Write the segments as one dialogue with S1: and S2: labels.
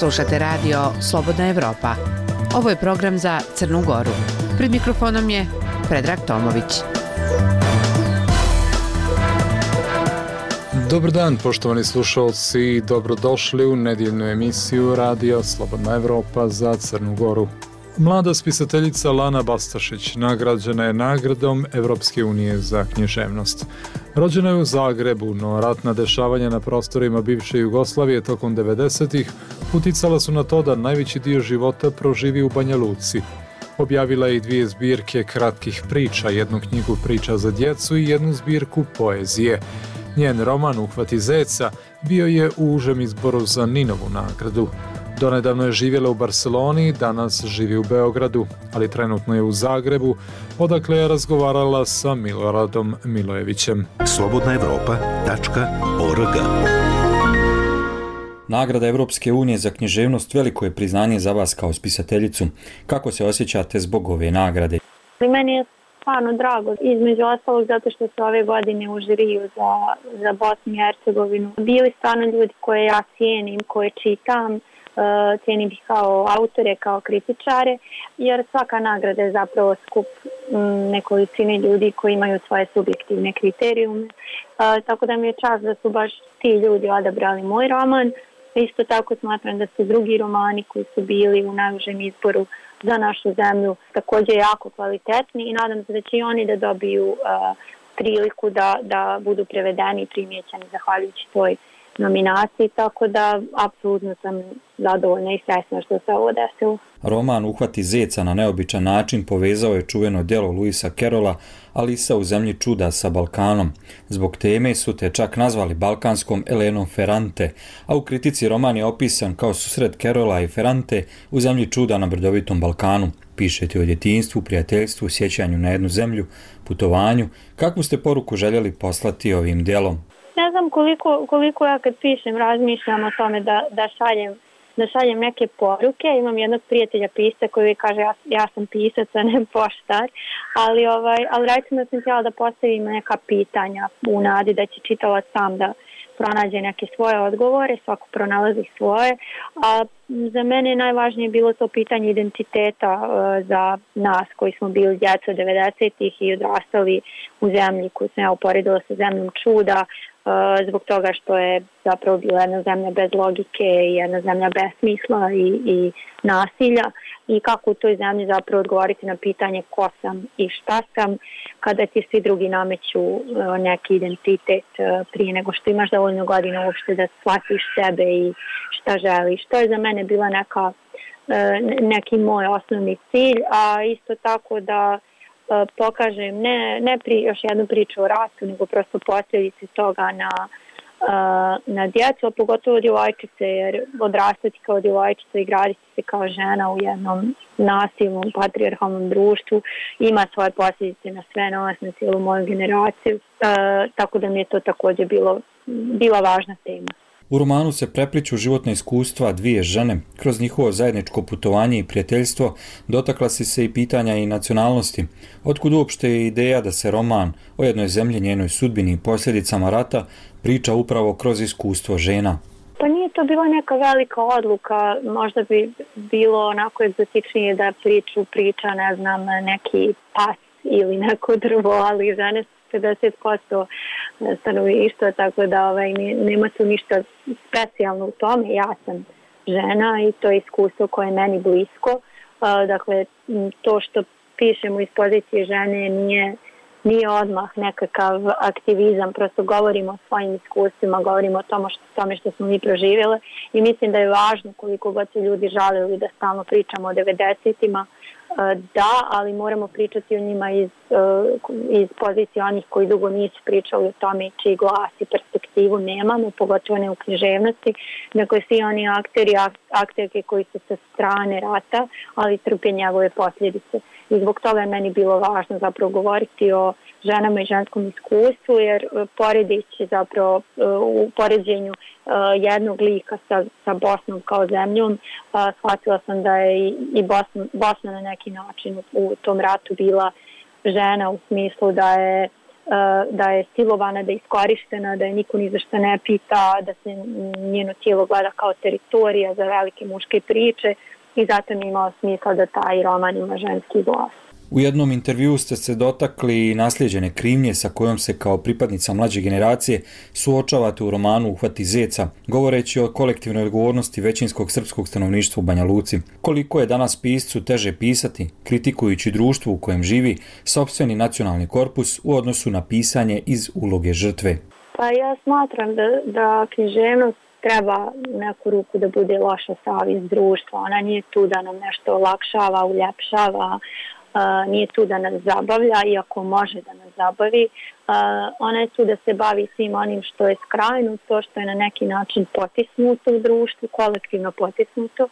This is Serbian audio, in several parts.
S1: Slušate radio Slobodna Evropa. Ovo je program za Crnu Goru. Pred mikrofonom je Predrag Tomović.
S2: Dobar dan, poštovani slušalci, dobrodošli u nedjeljnu emisiju Radio Slobodna Evropa za Crnu Goru. Mlada spisateljica Lana Bastašić nagrađena je nagradom Evropske unije za književnost. Rođena je u Zagrebu, no ratna dešavanja na prostorima bivše Jugoslavije tokom 90-ih uticala su na to da najveći dio života proživi u Banja Luci. Objavila je i 2 zbirke kratkih priča, 1 knjigu priča za djecu i 1 zbirku poezije. Njen roman Uhvati zeca bio je u užem izboru za Ninovu nagradu. Donedavno je živjela u Barseloni, danas živi u Beogradu, ali trenutno je u Zagrebu, odakle je razgovarala sa Miloradom Milojevićem.
S3: slobodnaevropa.org.
S4: Nagrada Evropske unije za književnost veliko je priznanje za vas kao spisateljicu. Kako se osjećate zbog ove nagrade?
S5: Meni je stvarno drago, između ostalog zato što se ove godine u žiriju za Bosnu i Hercegovinu bili stvarno ljudi koje ja cijenim, koje čitam, cijenim ih kao autore, kao kritičare, jer svaka nagrada je zapravo skup nekolicine ljudi koji imaju svoje subjektivne kriterijume, tako da mi je čast da su baš ti ljudi odabrali moj roman. Isto tako smatram da su drugi romani koji su bili u najužem izboru za našu zemlju također jako kvalitetni i nadam se da će i oni da dobiju priliku da budu prevedeni i primijećeni zahvaljujući toj nominaciji, tako da apsolutno sam zadovoljna i srećna što se ovo desilo.
S4: Roman Uhvati zeca na neobičan način povezao je čuveno djelo Lewisa Carrolla Alisa u zemlji čuda sa Balkanom. Zbog teme su te čak nazvali balkanskom Elenom Ferrante, a u kritici roman je opisan kao susret Carrolla i Ferrante u zemlji čuda na brdovitom Balkanu. Pišete o djetinjstvu, prijateljstvu, sjećanju na jednu zemlju, putovanju. Kakvu ste poruku željeli poslati ovim djelom?
S5: Ne znam koliko ja kad pišem razmišljam o tome da šaljem neke poruke. Imam jednog prijatelja pisca koji kaže ja sam pisac, a ne poštar, ali recimo sam htjela da postavim neka pitanja u nadi da će čitalac sam da pronađe neke svoje odgovore, svako pronalazi svoje, a za mene je najvažnije bilo to pitanje identiteta za nas koji smo bili djeca 90-ih i odrastali u zemlji koju sam ja uporedila sa zemljom čuda, zbog toga što je zapravo bila jedna zemlja bez logike i jedna zemlja bez smisla i nasilja, i kako u toj zemlji zapravo odgovoriti na pitanje ko sam i šta sam kada ti svi drugi nameću neki identitet prije nego što imaš dovoljno godina uopšte da shvatiš sebe i šta želiš. To je za mene bila neki moj osnovni cilj, a isto tako da pokažem ne još jednu priču o ratu, nego prosto posljedice toga na djecu, a pogotovo djevojčice, jer odrastati kao djevojčica i graditi se kao žena u jednom nasilnom, patrijarhalnom društvu ima svoje posljedice na sve nas, na cijelu moju generaciju, tako da mi je to također bila važna tema.
S4: U romanu se prepliću životna iskustva 2 žene. Kroz njihovo zajedničko putovanje i prijateljstvo dotakla si se i pitanja i nacionalnosti. Otkud uopšte je ideja da se roman o jednoj zemlji, njenoj sudbini i posljedicama rata priča upravo kroz iskustvo žena?
S5: Pa nije to bila neka velika odluka, možda bi bilo onako egzotičnije da priča, ne znam, neki pas ili neko drvo, ali žene 50% stanovništva, tako da nema tu ništa specijalno u tome. Ja sam žena i to je iskustvo koje je meni blisko. Dakle, to što pišemo iz pozicije žene nije odmah nekakav aktivizam, prosto govorimo o svojim iskustvima, govorimo o tome što smo mi proživjeli i mislim da je važno koliko god se ljudi žalili da stalno pričamo o 90-ima, da, ali moramo pričati o njima iz pozicije onih koji dugo nisu pričali o tome čiji glas i perspektivu nemamo, pogotovo ne u književnosti, nego svi oni akterke koji su sa strane rata, ali trpe njegove posljedice. I zbog toga je meni bilo važno zapravo govoriti o ženama i ženskom iskustvu, jer poredeći zapravo u poređenju jednog lika sa Bosnom kao zemljom, shvatila sam da je i Bosna na neki način u tom ratu bila žena, u smislu da je da je silovana, da je iskorištena, da je niko ni za šta ne pita, da se njeno tijelo gleda kao teritorija za velike muške priče i zato mi imao smisla da taj roman ima ženski glas.
S4: U jednom intervjuu ste se dotakli naslijeđene krivnje sa kojom se kao pripadnica mlađe generacije suočavate u romanu Uhvati zeca, govoreći o kolektivnoj odgovornosti većinskog srpskog stanovništva u Banja Luci. Koliko je danas piscu teže pisati, kritikujući društvo u kojem živi, sopstveni nacionalni korpus u odnosu na pisanje iz uloge žrtve?
S5: Pa ja smatram da književnost treba neku ruku da bude loša savjest društva. Ona nije tu da nam nešto olakšava, uljepšava, nije tu da nas zabavlja, iako može da nas zabavi. Ona je tu da se bavi svim onim što je skrajno, to što je na neki način potisnuto u društvu, kolektivno potisnuto,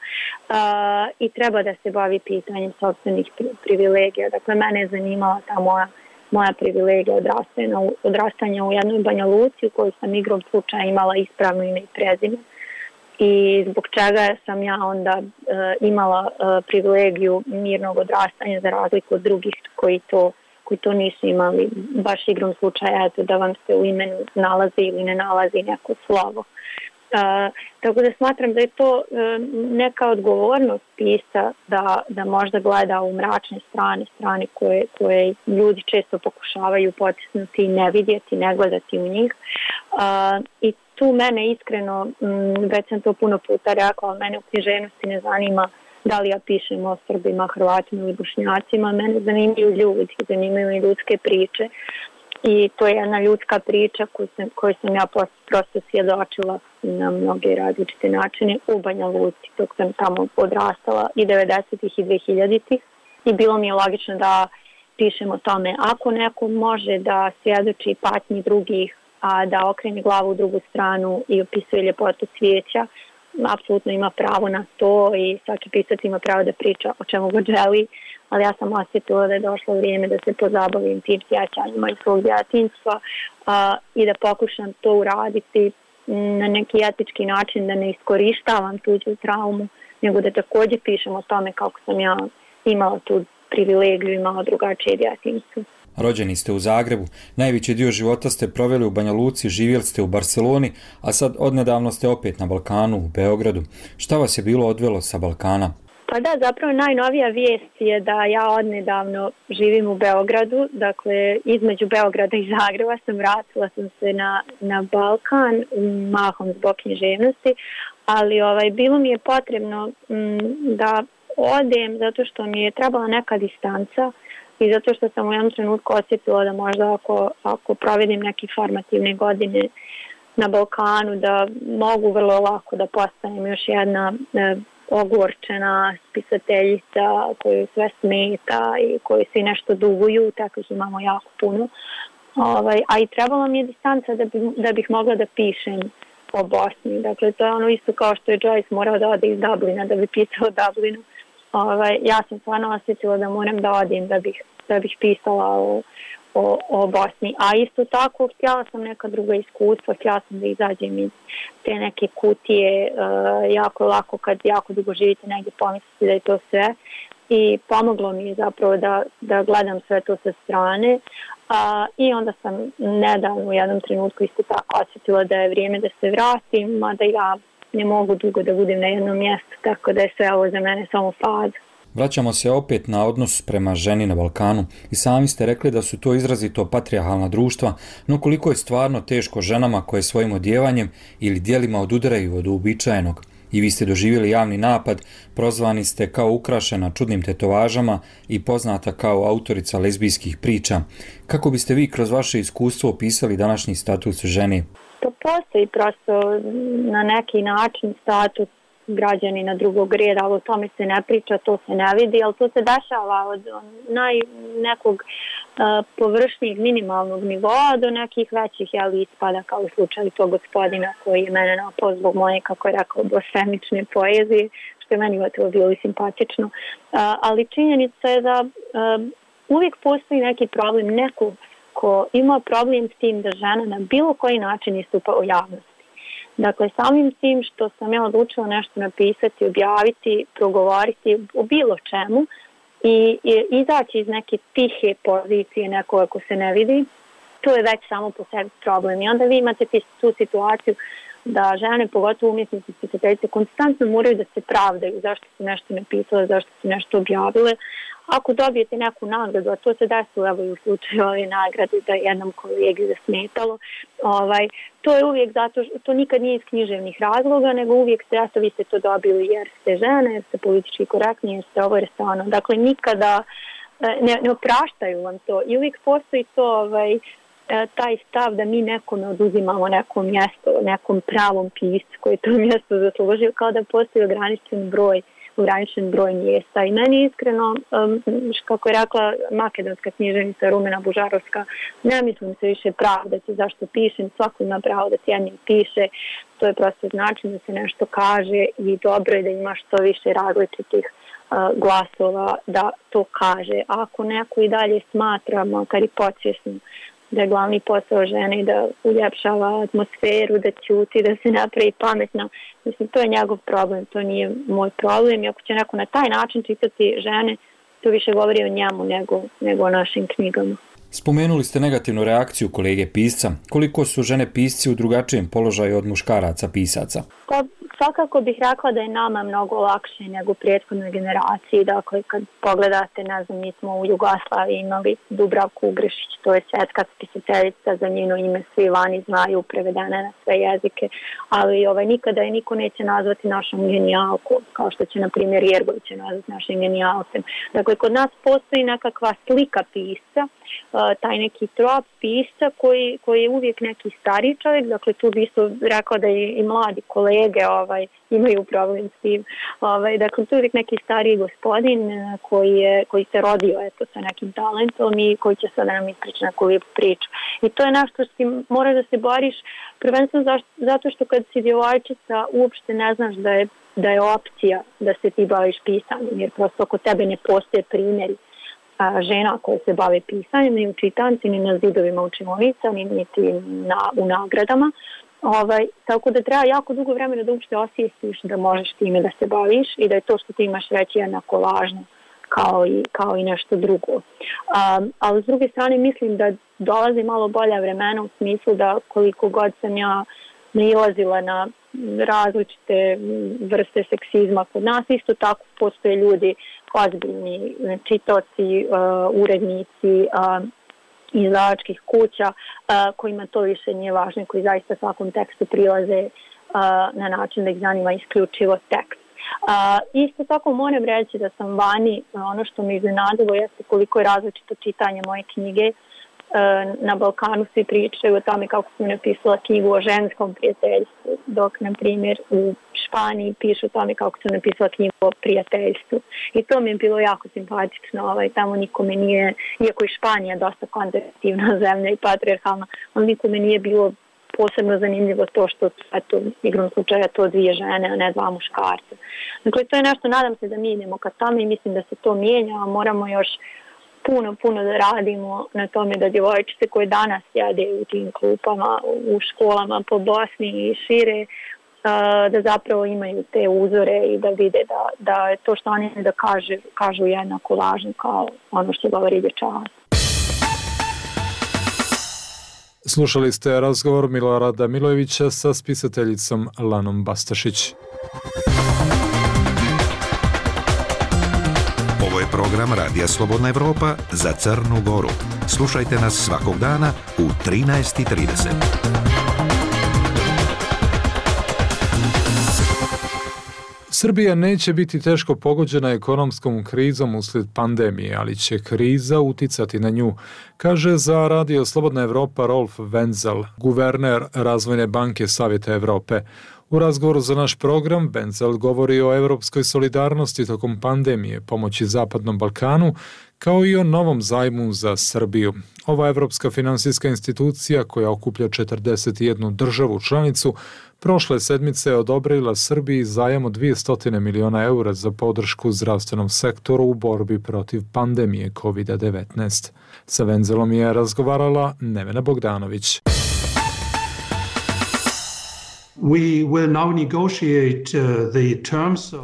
S5: i treba da se bavi pitanjem sopstvenih privilegija. Dakle, mene je zanimala ta moja privilegija odrastanja u jednoj Banja Luci u kojoj sam igrom slučaja imala ispravno ime i prezime. I zbog čega sam ja onda imala privilegiju mirnog odrastanja za razliku od drugih koji to nisu imali, baš igrom slučaja, eto, da vam se u imenu nalazi ili ne nalazi neko slovo. Tako da smatram da je to neka odgovornost pisca da možda gleda u mračne strane koje ljudi često pokušavaju potisnuti i ne vidjeti, ne gledati u njih. I tu mene iskreno, već sam to puno puta rekla, mene u književnosti ne zanima da li ja pišem o Srbima, Hrvatima ili Bošnjacima, mene zanimaju ljudi, zanimaju i ljudske priče. I to je jedna ljudska priča koju sam ja prosto svjedočila na mnoge različite načine u Banja Luci dok sam tamo odrastala i 90-ih i 2000-ih. I bilo mi je logično da pišem o tome. Ako neko može da svjedoči patnji drugih, a da okrene glavu u drugu stranu i opisuje ljepotu cvijeća, apsolutno ima pravo na to i svaki pisac ima pravo da priča o čemu god želi, ali ja sam osjetila da je došlo vrijeme da se pozabavim tim sjećanjima iz svog djetinjstva i da pokušam to uraditi na neki etički način, da ne iskorištavam tuđu traumu, nego da također pišem o tome kako sam ja imala tu privilegiju, imala drugačije djetinjstvo.
S4: Rođeni ste u Zagrebu, najveći dio života ste proveli u Banja Luci, živjeli ste u Barceloni, a sad odnedavno ste opet na Balkanu, u Beogradu. Šta vas je bilo odvelo sa Balkana?
S5: Pa da, zapravo najnovija vijest je da ja odnedavno živim u Beogradu, dakle između Beograda i Zagreba vratila sam se na Balkan, mahom zbog književnosti, ali bilo mi je potrebno da odem zato što mi je trebala neka distanca i zato što sam u jednom trenutku osjetila da možda ako provedim neke formativne godine na Balkanu, da mogu vrlo lako da postanem još jedna ogorčena spisateljica koju sve smeta i koju svi nešto duguju, takvih imamo jako puno. A i trebala mi je distanca da bih mogla da pišem o Bosni. Dakle, to je ono isto kao što je Joyce morao da ode iz Dublina da bi pisao o Dublinu. Ja sam stvarno osjetila da moram da odim da bih pisala o Bosni. A isto tako htjela sam neka druga iskustva, htjela sam da izađem iz te neke kutije, jako lako kad jako dugo živite negdje pomislite da je to sve. I pomoglo mi je zapravo da gledam sve to sa strane. I onda sam nedavno u jednom trenutku isto tako osjetila da je vrijeme da se vratim, mada ja ne mogu dugo da budem na jednom mjestu, tako da je sve ovo za mene samo faza.
S4: Vraćamo se opet na odnos prema ženi na Balkanu i sami ste rekli da su to izrazito patrijarhalna društva, no koliko je stvarno teško ženama koje svojim odjevanjem ili djelima odudaraju od uobičajenog. I vi ste doživjeli javni napad, prozvani ste kao ukrašena čudnim tetovažama i poznata kao autorica lezbijskih priča. Kako biste vi kroz vaše iskustvo opisali današnji status žene?
S5: To postoji prosto na neki način status građanina drugog reda, ali o tome se ne priča, to se ne vidi, ali to se dešava od nekog površnijeg minimalnog nivoa do nekih većih ispada, kao u slučaju tog gospodina koji je mene napao zbog moje, kako je rekao, blasfemične poezije, što je meni gotovo bilo i simpatično. Ali činjenica je da uvijek postoji neki problem, neko ko ima problem s tim da žena na bilo koji način istupa u javnosti. Dakle, samim tim što sam ja odlučila nešto napisati, objaviti, progovoriti o bilo čemu i izaći iz neke tihe pozicije nekoga ko se ne vidi, to je već samo po sebi problem. I onda vi imate tu situaciju da žene, pogotovo umjetnici, spisateljice, konstantno moraju da se pravdaju zašto su nešto napisale, zašto su nešto objavile. Ako dobijete neku nagradu, a to se desilo evo i u slučaju ove nagrade da jednom kolegi zasmetalo, to je uvijek zato što to nikad nije iz književnih razloga, nego uvijek ste, vi ste to dobili jer ste žene, jer ste politički korektni, jer ste ovo, jer ste ono. Dakle, nikada ne opraštaju vam to i uvijek postoji to taj stav da mi nekome oduzimamo neko mjesto, nekom pravom piscu koji to mjesto zaslužio, kao da postoji ograničen broj mjesta. I meni iskreno, kako je rekla makedonska književnica Rumena Bužarovska, ne mislim se više pravdati zašto pišem, svako ima pravo da cijenim piše, to je prosto način da se nešto kaže i dobro je da ima što više različitih glasova da to kaže. A ako neko i dalje smatra, makar i podsvjesno, da je glavni posao žene da uljepšava atmosferu, da ćuti, da se napravi pametna. Mislim, to je njegov problem, to nije moj problem. I ako će neko na taj način čitati žene, to više govori o njemu nego o našim knjigama.
S4: Spomenuli ste negativnu reakciju kolege pisca. Koliko su žene pisci u drugačijem položaju od muškaraca pisaca?
S5: Pa, svakako bih rekla da je nama mnogo lakše nego prethodnoj generaciji. Dakle, kad pogledate, ne znam, mi smo u Jugoslaviji imali Dubravku Ugrešić, to je svjetska spisateljica, za njeno ime svi vani znaju, prevedene na sve jezike, ali nikada je niko neće nazvati našom genijalkom, kao što će, na primjer, Jergović nazvati našim genijalcem. Dakle, kod nas postoji nekakva slika pisca, taj neki trop pisca koji je uvijek neki stariji čovjek, dakle tu bi isto rekao da i mladi kolege imaju problem s tim. Dakle, tu je uvijek neki stariji gospodin koji se rodio sa nekim talentom i koji će sada nam ispričati neku lijepu priču. I to je nešto što ti moraš da se boriš, prvenstveno zato što kad si djevojčica uopšte ne znaš da je opcija da se ti baviš pisanjem, jer prosto oko tebe ne postoje primjeri žena koje se bave pisanjem, ni u čitanci, ni na zidovima učionica, niti u nagradama. Tako da treba jako dugo vremena da uopšte osvijestiš da možeš time da se baviš i da je to što ti imaš reći jednako važno kao i nešto drugo. Ali s druge strane mislim da dolazi malo bolja vremena u smislu da koliko god sam ja nailazila na različite vrste seksizma kod nas, isto tako postoje ljudi ozbiljni čitaoci, urednici izdavačkih kuća kojima to više nije važno, koji zaista svakom tekstu prilaze na način da ih zanima isključivo tekst. Isto tako moram reći da sam vani, ono što me iznenadilo jeste koliko je različito čitanje moje knjige. Na Balkanu svi pričaju o tome kako sam napisala knjigu o ženskom prijateljstvu, dok, na primjer, u Španiji pišu o tome kako sam napisala knjigu o prijateljstvu. I to mi je bilo jako simpatično. Tamo nikome nije, iako je Španija dosta konzervativna zemlja i patrijarhalna, ali nikome nije bilo posebno zanimljivo to što, igrom slučaja, to dvije žene, a ne dva muškarca. Dakle, to je nešto, nadam se da mi idemo ka tome i mislim da se to mijenja, a moramo još puno da radimo na tome da djevojčice koje danas sjede u tim klupama, u školama po Bosni i šire, da zapravo imaju te uzore i da vide da je to što oni da kažu jednako važno kao ono što govori dječak.
S2: Slušali ste razgovor Milorada Milojevića sa spisateljicom Lanom Bastašić.
S3: Ovo je program Radija Slobodna Evropa za Crnu Goru. Slušajte nas svakog dana u 13:30.
S2: Srbija neće biti teško pogođena ekonomskom krizom uslijed pandemije, ali će kriza uticati na nju, kaže za Radio Slobodna Evropa Rolf Wenzel, guverner Razvojne banke Savjeta Evrope. U razgovoru za naš program Wenzel govori o europskoj solidarnosti tokom pandemije, pomoći Zapadnom Balkanu, kao i o novom zajmu za Srbiju. Ova evropska finansijska institucija, koja okuplja 41 državu članicu, prošle sedmice je odobrila Srbiji zajam od 200 miliona eura za podršku zdravstvenom sektoru u borbi protiv pandemije COVID-19. Sa Wenzelom je razgovarala Nevena Bogdanović.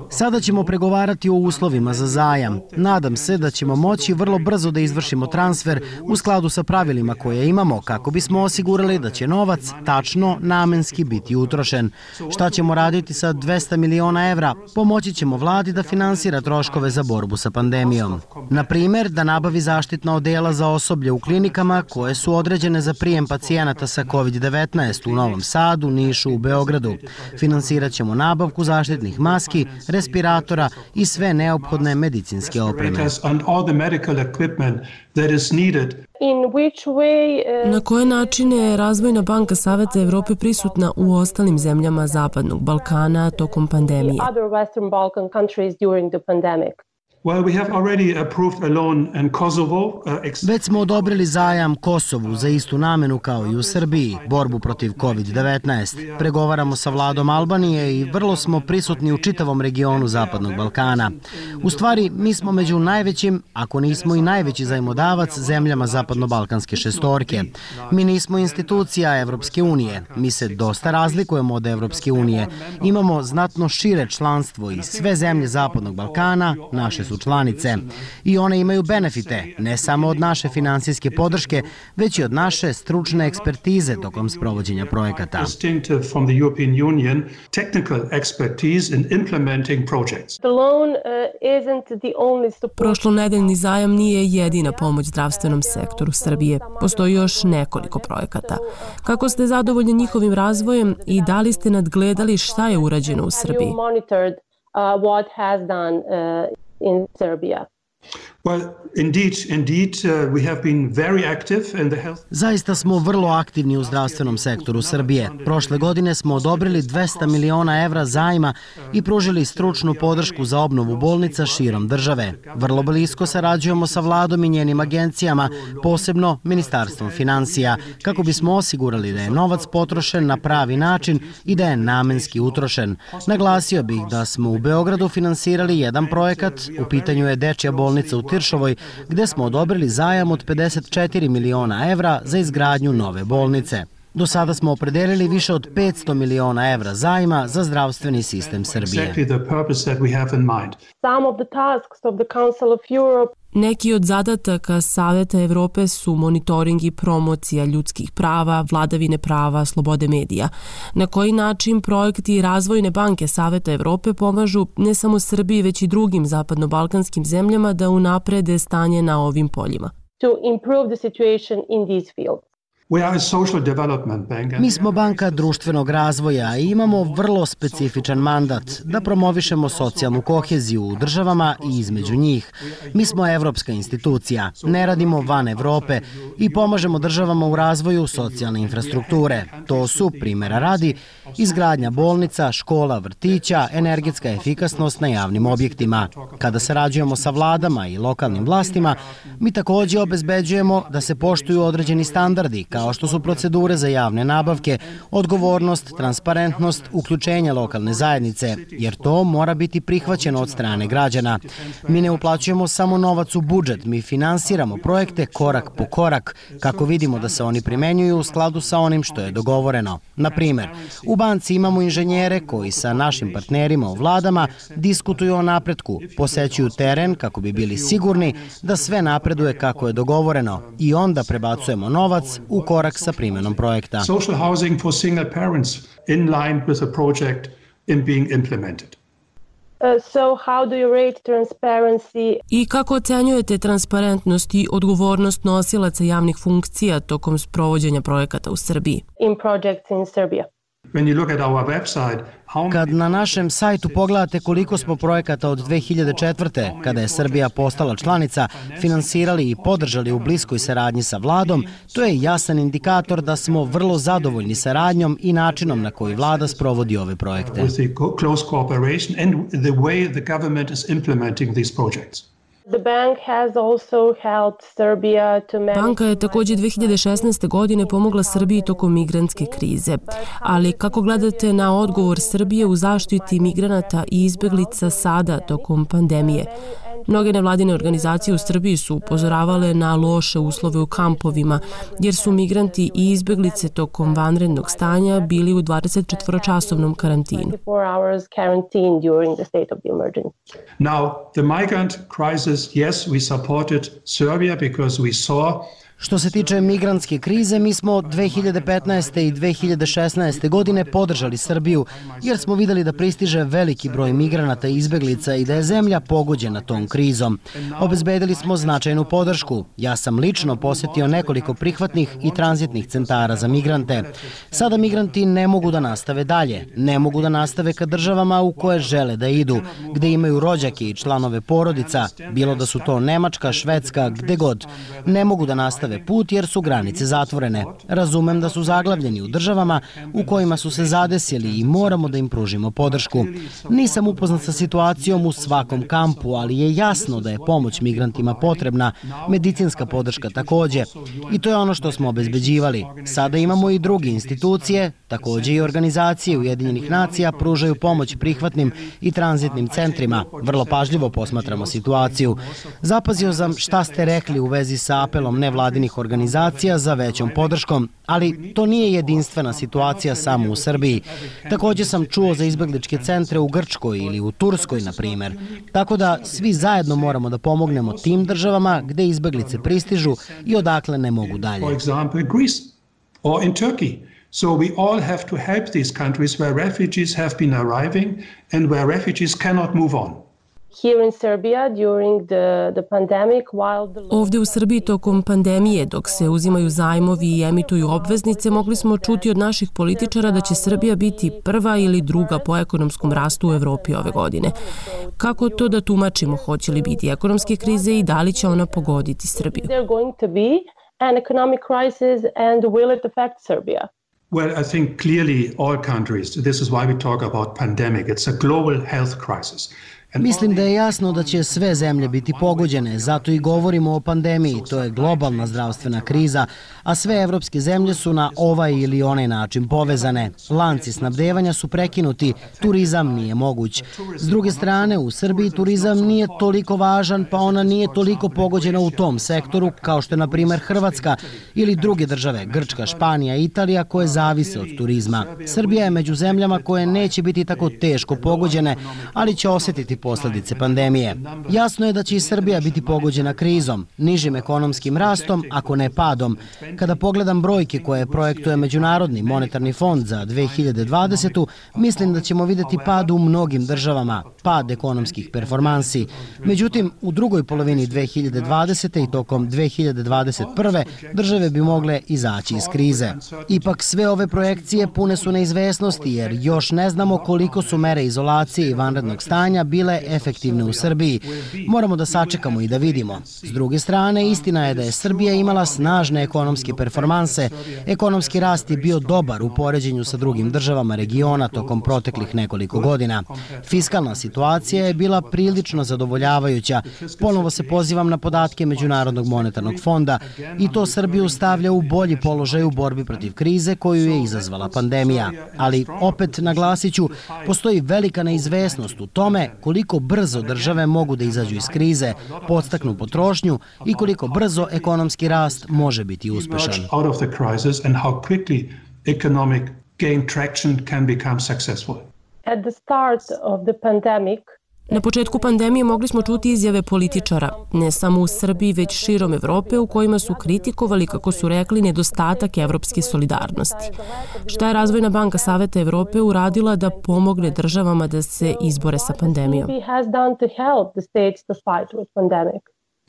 S6: Sada ćemo pregovarati o uslovima za zajam. Nadam se da ćemo moći vrlo brzo da izvršimo transfer u skladu sa pravilima koje imamo kako bismo osigurali da će novac tačno namenski biti utrošen. Šta ćemo raditi sa 200 miliona evra? Pomoći ćemo vladi da finansira troškove za borbu sa pandemijom. Na primjer, da nabavi zaštitna odela za osoblje u klinikama koje su određene za prijem pacijenata sa COVID-19 u Novom Sadu, Nišu, u Beogradu. Finansirat ćemo nabavku zaštitnih maski, respiratora i sve neophodne medicinske opreme.
S7: Na koje načine je Razvojna banka Saveta Evrope prisutna u ostalim zemljama Zapadnog Balkana tokom pandemije?
S6: Već smo odobrili zajam Kosovu za istu namenu kao i u Srbiji, borbu protiv COVID-19. Pregovaramo sa vladom Albanije i vrlo smo prisutni u čitavom regionu Zapadnog Balkana. U stvari, mi smo među najvećim, ako nismo i najveći zajmodavac, zemljama Zapadno-Balkanske šestorke. Mi nismo institucija Evropske unije. Mi se dosta razlikujemo od Evropske unije. Imamo znatno šire članstvo i sve zemlje Zapadnog Balkana naše su članice. I one imaju benefite, ne samo od naše finansijske podrške, već i od naše stručne ekspertize tokom sprovođenja projekata.
S7: Prošlonedeljni zajam nije jedina pomoć zdravstvenom sektoru Srbije. Postoji još nekoliko projekata. Kako ste zadovoljni njihovim razvojem i da li ste nadgledali šta je urađeno u Srbiji?
S8: In Serbia.
S6: Zaista smo vrlo aktivni u zdravstvenom sektoru Srbije. Prošle godine smo odobrili 200 miliona evra zajma i pružili stručnu podršku za obnovu bolnica širom države. Vrlo blisko sarađujemo sa vladom i njenim agencijama, posebno Ministarstvom finansija, kako bismo osigurali da je novac potrošen na pravi način i da je namenski utrošen. Naglasio bih da smo u Beogradu finansirali jedan projekat, u pitanju je dečja bolnica u Tiršovoj, gde smo odobrili zajam od 54 miliona evra za izgradnju nove bolnice. Do sada smo opredelili više od 500 miliona evra zajma za zdravstveni sistem Srbije.
S7: Neki od zadataka Saveta Evrope su monitoring i promocija ljudskih prava, vladavine prava, slobode medija. Na koji način projekti Razvojne banke Saveta Evrope pomažu ne samo Srbiji, već i drugim zapadno-balkanskim zemljama da unaprede stanje na ovim poljima?
S6: Mi smo banka društvenog razvoja i imamo vrlo specifičan mandat da promovišemo socijalnu koheziju u državama i između njih. Mi smo evropska institucija, ne radimo van Evrope i pomažemo državama u razvoju socijalne infrastrukture. To su, primjera radi, izgradnja bolnica, škola, vrtića, energetska efikasnost na javnim objektima. Kada sarađujemo sa vladama i lokalnim vlastima, mi također obezbeđujemo da se poštuju određeni standardi, kao što su procedure za javne nabavke, odgovornost, transparentnost, uključenje lokalne zajednice, jer to mora biti prihvaćeno od strane građana. Mi ne uplaćujemo samo novac u budžet, mi finansiramo projekte korak po korak, kako vidimo da se oni primenjuju u skladu sa onim što je dogovoreno. Na primjer, u banci imamo inženjere koji sa našim partnerima u vladama diskutuju o napretku, posećuju teren kako bi bili sigurni da sve napreduje kako je dogovoreno i onda prebacujemo novac u korak sa primjenom projekta.
S9: Social housing for single parents in line with the project in being implemented.
S7: I kako ocenjujete transparentnost i odgovornost nosilaca javnih funkcija tokom sprovođenja projekata u Srbiji?
S6: Kad na našem sajtu pogledate koliko smo projekata od 2004. kada je Srbija postala članica, finansirali i podržali u bliskoj saradnji sa vladom, to je jasan indikator da smo vrlo zadovoljni saradnjom i načinom na koji vlada sprovodi ove projekte.
S7: Banka je također 2016. godine pomogla Srbiji tokom migrantske krize. Ali kako gledate na odgovor Srbije u zaštiti migranata i izbeglica sada tokom pandemije? Mnoge nevladine organizacije u Srbiji su upozoravale na loše uslove u kampovima, jer su migranti i izbeglice tokom vanrednog stanja bili u 24-časovnom karantinu.
S9: Now, the migrant crisis, yes, we supported Serbia because we saw.
S6: Što se tiče migrantske krize, mi smo 2015. i 2016. godine podržali Srbiju, jer smo videli da pristiže veliki broj migranata i izbeglica i da je zemlja pogođena tom krizom. Obezbedili smo značajnu podršku. Ja sam lično posetio nekoliko prihvatnih i tranzitnih centara za migrante. Sada migranti ne mogu da nastave dalje. Ne mogu da nastave ka državama u koje žele da idu, gde imaju rođake i članove porodica, bilo da su to Nemačka, Švedska, gde god. Ne mogu da nastave put jer su granice zatvorene. Razumem da su zaglavljeni u državama u kojima su se zadesili i moramo da im pružimo podršku. Nisam upoznat sa situacijom u svakom kampu, ali je jasno da je pomoć migrantima potrebna, medicinska podrška takođe. I to je ono što smo obezbeđivali. Sada imamo i druge institucije, takođe i organizacije Ujedinjenih nacija pružaju pomoć prihvatnim i tranzitnim centrima. Vrlo pažljivo posmatramo situaciju. Zapazio sam šta ste rekli u vezi sa apelom nevladinih organizacija za većom podrškom, ali to nije jedinstvena situacija samo u Srbiji. Takođe sam čuo za izbegličke centre u Grčkoj ili u Turskoj, na primer. Tako da svi zajedno moramo da pomognemo tim državama gde izbeglice pristižu i odakle ne mogu dalje.
S9: For example, Greece or in Turkey. So we all have to help these countries where refugees have been arriving and where refugees cannot move on.
S7: Ovdje u Srbiji tokom pandemije, dok se uzimaju zajmovi i emituju obveznice, mogli smo čuti od naših političara da će Srbija biti prva ili druga po ekonomskom rastu u Evropi ove godine. Kako to da tumačimo? Hoće li biti ekonomske krize i da li će ona pogoditi Srbiju?
S9: Well, I think clearly all countries, this is why we talk about pandemic, it's a global health crisis.
S6: Mislim da je jasno da će sve zemlje biti pogođene, zato i govorimo o pandemiji, to je globalna zdravstvena kriza, a sve evropske zemlje su na ovaj ili onaj način povezane. Lanci snabdevanja su prekinuti, turizam nije moguć. S druge strane, u Srbiji turizam nije toliko važan, pa ona nije toliko pogođena u tom sektoru, kao što je, na primer, Hrvatska ili druge države, Grčka, Španija, Italija, koje zavise od turizma. Srbija je među zemljama koje neće biti tako teško pogođene, ali će osjetiti posledice pandemije. Jasno je da će i Srbija biti pogođena krizom, nižim ekonomskim rastom, ako ne padom. Kada pogledam brojke koje projektuje Međunarodni monetarni fond za 2020. mislim da ćemo videti pad u mnogim državama, pad ekonomskih performansi. Međutim, u drugoj polovini 2020. i tokom 2021. države bi mogle izaći iz krize. Ipak sve ove projekcije pune su neizvesnosti jer još ne znamo koliko su mere izolacije i vanrednog stanja bile efektivne u Srbiji. Moramo da sačekamo i da vidimo. S druge strane, istina je da je Srbija imala snažne ekonomske performanse. Ekonomski rast je bio dobar u poređenju sa drugim državama regiona tokom proteklih nekoliko godina. Fiskalna situacija je bila prilično zadovoljavajuća. Ponovo se pozivam na podatke Međunarodnog monetarnog fonda i to Srbiju stavlja u bolji položaj u borbi protiv krize koju je izazvala pandemija. Ali, opet naglasiću, postoji velika neizvesnost u tome koliko brzo države mogu da izađu iz krize, podstaknu potrošnju i koliko brzo ekonomski rast može biti uspešan.
S7: Na početku pandemije mogli smo čuti izjave političara, ne samo u Srbiji, već širom Evrope, u kojima su kritikovali, kako su rekli, nedostatak evropske solidarnosti. Šta je Razvojna banka Saveta Evrope uradila da pomogne državama da se izbore sa pandemijom?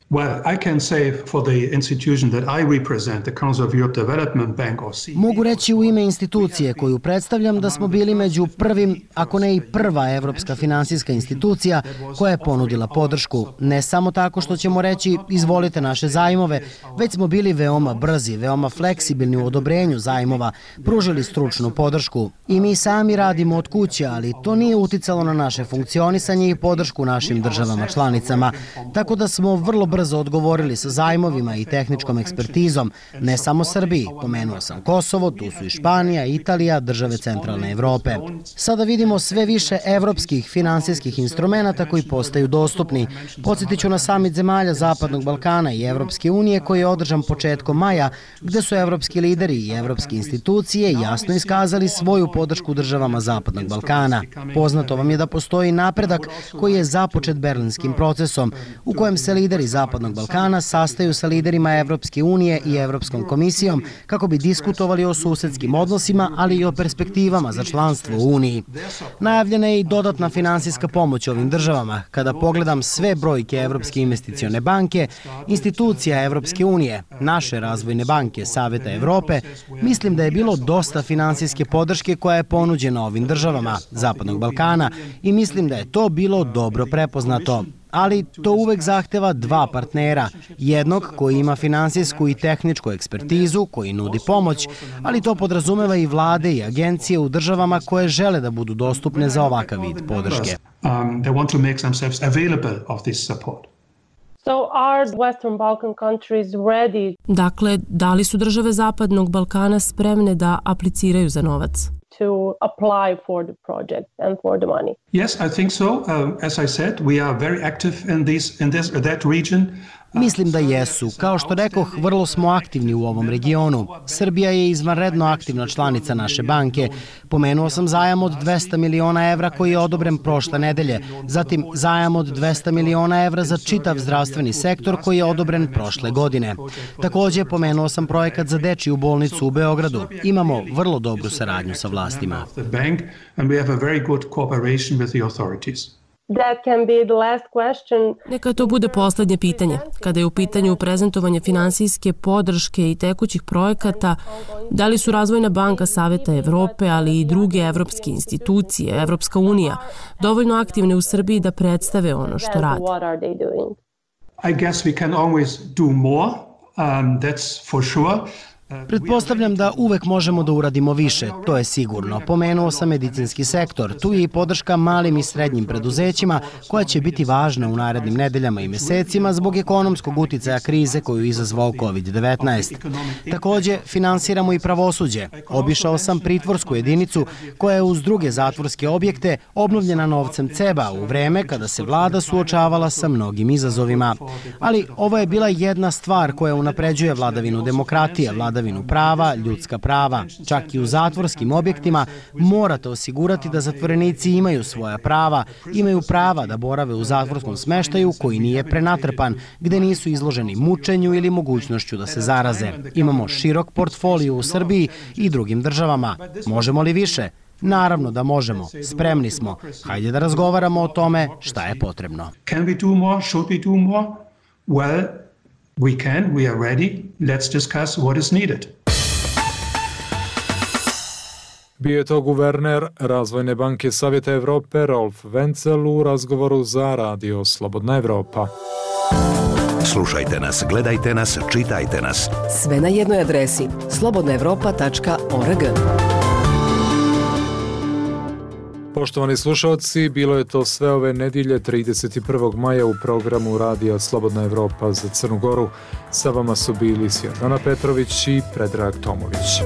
S9: Well, I can say for the institution that I represent, the Council of Europe Development Bank or CEB.
S6: Mogu reći u ime institucije koju predstavljam da smo bili među prvim, ako ne i prva evropska finansijska institucija koja je ponudila podršku. Ne samo tako što ćemo reći izvolite naše zajmove, već smo bili veoma brzi, veoma fleksibilni u odobrenju zajmova, pružili stručnu podršku. I mi sami radimo od kuće, ali to nije uticalo na naše funkcionisanje i podršku našim državama članicama. Tako da smo vrlo brzo ubrzo odgovorili sa zajmovima i tehničkom ekspertizom, ne samo Srbiji, pomenuo sam Kosovo, tu su i Španija, Italija, države centralne Evrope. Sada vidimo sve više evropskih finansijskih instrumenata koji postaju dostupni. Podsjetit ću na samit zemalja Zapadnog Balkana i Evropske unije koji je održan početkom maja, gde su evropski lideri i evropske institucije jasno iskazali svoju podršku državama Zapadnog Balkana. Poznato vam je da postoji napredak koji je započet Berlinskim procesom, u kojem se lideri Zapadnog Balkana sastaju sa liderima Evropske unije i Evropskom komisijom kako bi diskutovali o susedskim odnosima, ali i o perspektivama za članstvo u Uniji. Najavljena je i dodatna finansijska pomoć ovim državama. Kada pogledam sve brojke Evropske investicione banke, institucija Evropske unije, naše razvojne banke, Saveta Evrope, mislim da je bilo dosta finansijske podrške koja je ponuđena ovim državama Zapadnog Balkana i mislim da je to bilo dobro prepoznato. Ali to uvek zahteva dva partnera, jednog koji ima finansijsku i tehničku ekspertizu, koji nudi pomoć, ali to podrazumeva i vlade i agencije u državama koje žele da budu dostupne za ovakav vid podrške.
S7: Dakle, da li su države Zapadnog Balkana spremne da apliciraju za novac?
S8: To apply for the project and for the money.
S9: Yes, I think so. As I said, we are very active in that region.
S6: Mislim da jesu. Kao što rekoh, vrlo smo aktivni u ovom regionu. Srbija je izvanredno aktivna članica naše banke. Pomenuo sam zajam od 200 miliona evra koji je odobren prošle nedelje. Zatim zajam od 200 miliona evra za čitav zdravstveni sektor koji je odobren prošle godine. Takođe, pomenuo sam projekat za dečiju bolnicu u Beogradu. Imamo vrlo dobru saradnju sa vlastima.
S7: Neka to bude poslednje pitanje. Kada je u pitanju prezentovanje finansijske podrške i tekućih projekata, da li su Razvojna banka Saveta Evrope, ali i druge evropske institucije, Evropska unija, dovoljno aktivne u Srbiji da predstave ono što rade?
S9: I guess we can always do more, that's for sure.
S6: Pretpostavljam da uvek možemo da uradimo više, to je sigurno. Pomenuo sam medicinski sektor, tu je i podrška malim i srednjim preduzećima koja će biti važna u narednim nedeljama i mesecima zbog ekonomskog uticaja krize koju je izazvao COVID-19. Takođe, finansiramo i pravosuđe. Obišao sam pritvorsku jedinicu koja je uz druge zatvorske objekte obnovljena novcem CEB-a u vreme kada se vlada suočavala sa mnogim izazovima. Ali ovo je bila jedna stvar koja unapređuje vladavinu demokratije, vladavinu prava, ljudska prava. Čak i u zatvorskim objektima morate osigurati da zatvorenici imaju svoja prava, imaju prava da borave u zatvorskom smeštaju koji nije prenatrpan, gde nisu izloženi mučenju ili mogućnošću da se zaraze. Imamo širok portfolio u Srbiji i drugim državama. Možemo li više? Naravno da možemo. Spremni smo. Hajde da razgovaramo o tome šta je potrebno.
S9: Can we do more? Should we do more? Well, we can, we are ready. Let's discuss what is needed.
S2: Bio je to guverner Razvojne banke Savjeta Evrope Rolf Wenzel u razgovoru za Radio Slobodna Evropa.
S3: Slušajte nas, gledajte nas, čitajte nas.
S10: Sve na jednoj adresi slobodnaevropa.org.
S2: Poštovani slušalci, bilo je to sve ove nedjelje 31. maja u programu Radija Slobodna Evropa za Crnu Goru. Sa vama su bili Svjetlana Petrović i Predrag Tomović.